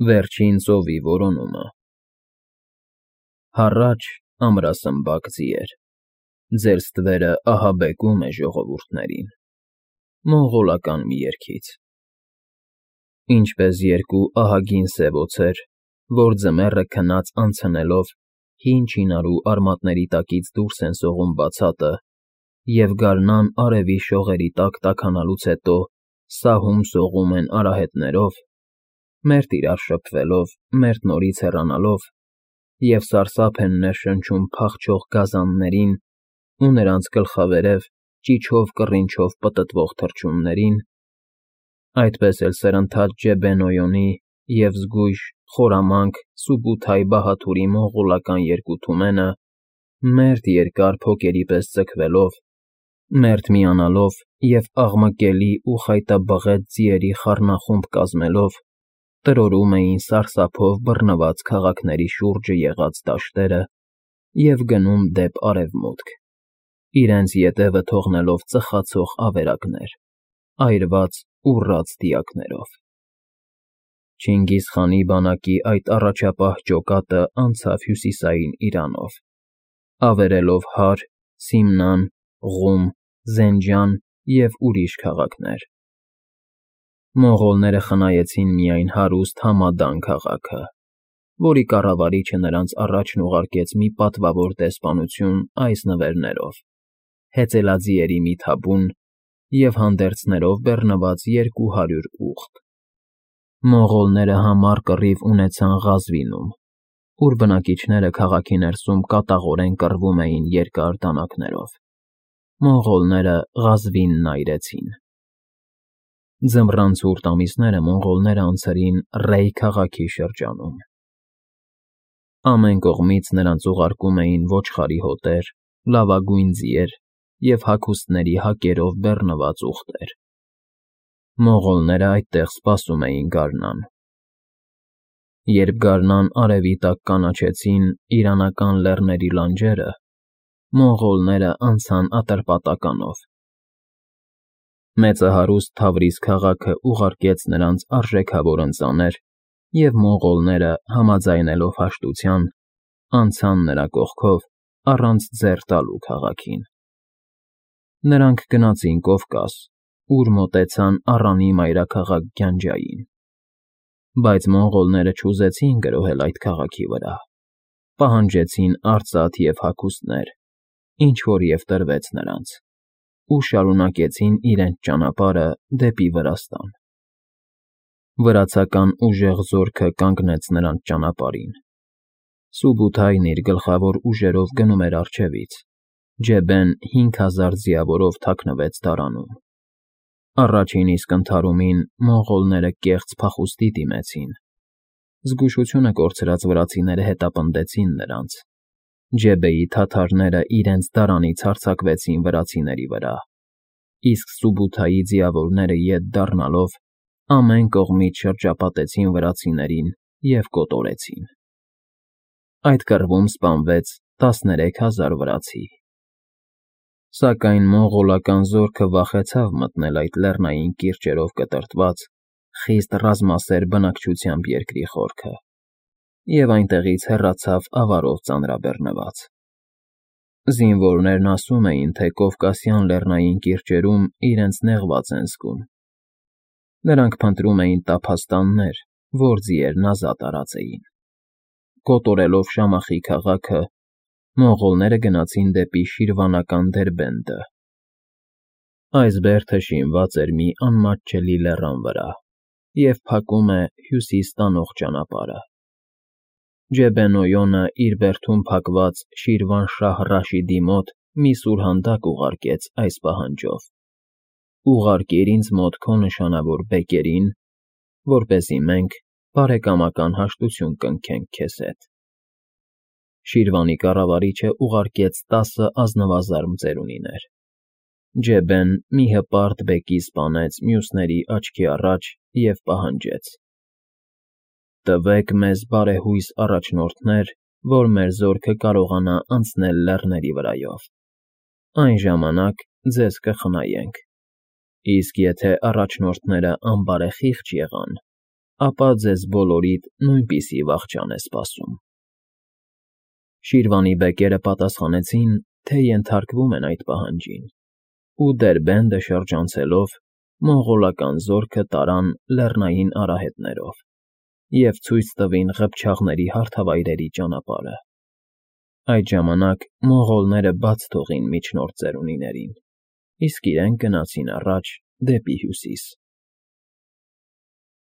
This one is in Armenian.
Վերջին ծովի որոնումը։ Հառաչ ամրասմբակ ձիեր, ձեր ստվերը ահաբեկում է ժողովուրդներին, մոնղոլական մի երգից։ Ինչպես երկու ահագին սև օձեր, որ ձմեռը քնած անցնելով հին չինարու արմատների տակից դուրս են սողում բացատը և գարնան արևի շողերի տակ տաքանալուց հետո սահում սողում են արահետներով, մերթ իրար շփվելով, մերթ նորից հեռանալով, և սարսափ են ներշնչում փախչող գազաններին ու նրանց գլխավերև ճիչով֊կռինչով պտտվող թռչուններին, այդպես էլ սրընթաց Ջեբեն-Օյոնի և զգույշ, խորամանկ Սուբութայի բահաթուրի մոնղոլական երկութումենը, մերթ երկար փոկերի պես ձգվելով, մերթ միանալով և աղմկելի ու խայտաբղետ ձիերի խառնախումբ կազմելով, տրորում էին սարսափով բռնված քաղաքների շուրջը եղած դաշտերը և գնում դեպ արևմուտք, իրենց ետևը թողնելով ծխացող ավերակներ, այրված ուռած դիակներով։ Չինգիզխանի բանակի այդ առաջապահ ջոկատը անցավ հյուսիսային Իրանով, ավերելով Հար, Սիմնան, Ղում, Զենջան և ուրիշ քաղաքներ։ Մոնղոլները խնայեցին միայն հարուստ Համադան քաղաքը, որի կառավարիչը նրանց առաջն ուղարկեց մի պատվավոր դեսպանություն այս նվերներով. հեծելաձիերի մի թաբուն և հանդերձներով բեռնված 200 ուղտ։ Մոնղոլները համառ կռիվ ունեցան Ղազվինում, ուր բնակիչները քաղաքի ներսում կատաղորեն կռվում էին երկար դանակներով։ Մոնղոլները Ղազվինն այրեցին։ Ձմռան ցուրտ ամիսները մոնղոլները անցրին Ռեյ քաղաքի շրջանում։ Ամեն կողմից նրանց ուղարկում էին ոչխարի հոտեր, լավագույն ձիեր և հագուստների հակերով բեռնված ուղտեր։ Մոնղոլները այդտեղ սպասում էին գարնան։ Երբ գարնան արևի տակ կանաչեցին իրանական լեռների լանջերը, մոնղոլները անցան Ատրպատականով։ Մեծահարուստ Թավրիզ քաղաքը ուղարկեց նրանց արժեքավոր ընծաներ, և մոնղոլները, համաձայնելով հաշտության, անցան նրա կողքով առանց ձեռ տալու քաղաքին։ Նրանք գնացին Կովկաս, ուր մոտեցան Առանի մայրաքաղաք Գյանջային։ Բայց մոնղոլները չուզեցին գրոհել այդ քաղաքի վրա, պահանջեցին արծաթ և հագուստներ, ինչ֊որ և տրվեց նրանց, ու շարունակեցին իրենց ճանապարհը դեպի Վրաստան։ Վրացական ուժեղ զորքը կանգնեց նրանց ճանապարհին։ Սուբութայն իր գլխավոր ուժերով գնում էր առջևից, Ջեբեն 5000 ձիավորով թաքնվեց դարանում։ Առաջին իսկ ընդհարումին մոնղոլները կեղծ փախուստի դիմեցին։ Զգուշությունը կորցրած վրացիները հետապնդեցին նրանց։ Ջեբեի թաթարները իրենց դարանից հարձակվեցին վրացիների վրա, իսկ Սուբութայի ձիավորները ետ դառնալով ամեն կողմից շրջապատեցին վրացիներին և կոտորեցին։ Այդ կռվում սպանվեց 13000 վրացի։ Սակայն մոնղոլական զորքը վախեցավ մտնել այդ լեռնային կիրճերով կտրտված, խիստ ռազմասեր բնակչությամբ երկրի խորքը և այնտեղից հեռացավ ավարով ծանրաբեռնված։ Զինվորներն ասում էին, թե Կովկասյան լեռնային կիրճերում իրենց նեղված են զգում։ Նրանք փնտրում էին տափաստաններ, որ ձիերն ազատ արածեին։ Կոտորելով Շամախի քաղաքը, մոնղոլները գնացին դեպի Շիրվանական Դերբենդը։ Այս բերդը շինված էր մի անմատչելի լեռան վրա և փակում է հյուսիս տանող ճանապարհը։ Ջեբեն֊Օյոնը իր բերդում փակված Շիրվանշահ Ռաշիդի մոտ մի սուրհանդակ ուղարկեց այս պահանջով. «Ուղարկիր ինձ մոտ քո նշանավոր բեկերին, որպեսզի մենք բարեկամական հաշտություն կնքենք քեզ հետ»։ Շիրվանի կառավարիչը ուղարկեց 10 ազնվազարմ ծերունիներ։ Ջեբեն մի հպարտ բեկի սպանեց մյուսների աչքի առաջ և պահանջեց. «Տվեք մեզ բարեհույս առաջնորդներ, որ մեր զորքը կարողանա անցնել լեռների վրայով։ Այն ժամանակ ձեզ կխնայենք, իսկ եթե առաջնորդները անբարեխիղճ եղան, ապա ձեզ բոլորիդ նույնպիսի վախճան է սպասում։ Շիրվանի բեկերը պատասխանեցին, թե ենթարկվում են այդ պահանջին, ու Դերբենդը շրջանցելով, մոնղոլական զորքը տարան լեռնային արահետներով և ցույց տվին ղփչաղների հարթավայրերի ճանապարհը։ Այդ ժամանակ մոնղոլները բաց թողին միջնորդ ծերունիներին, իսկ իրենք գնացին առաջ դեպի հյուսիս։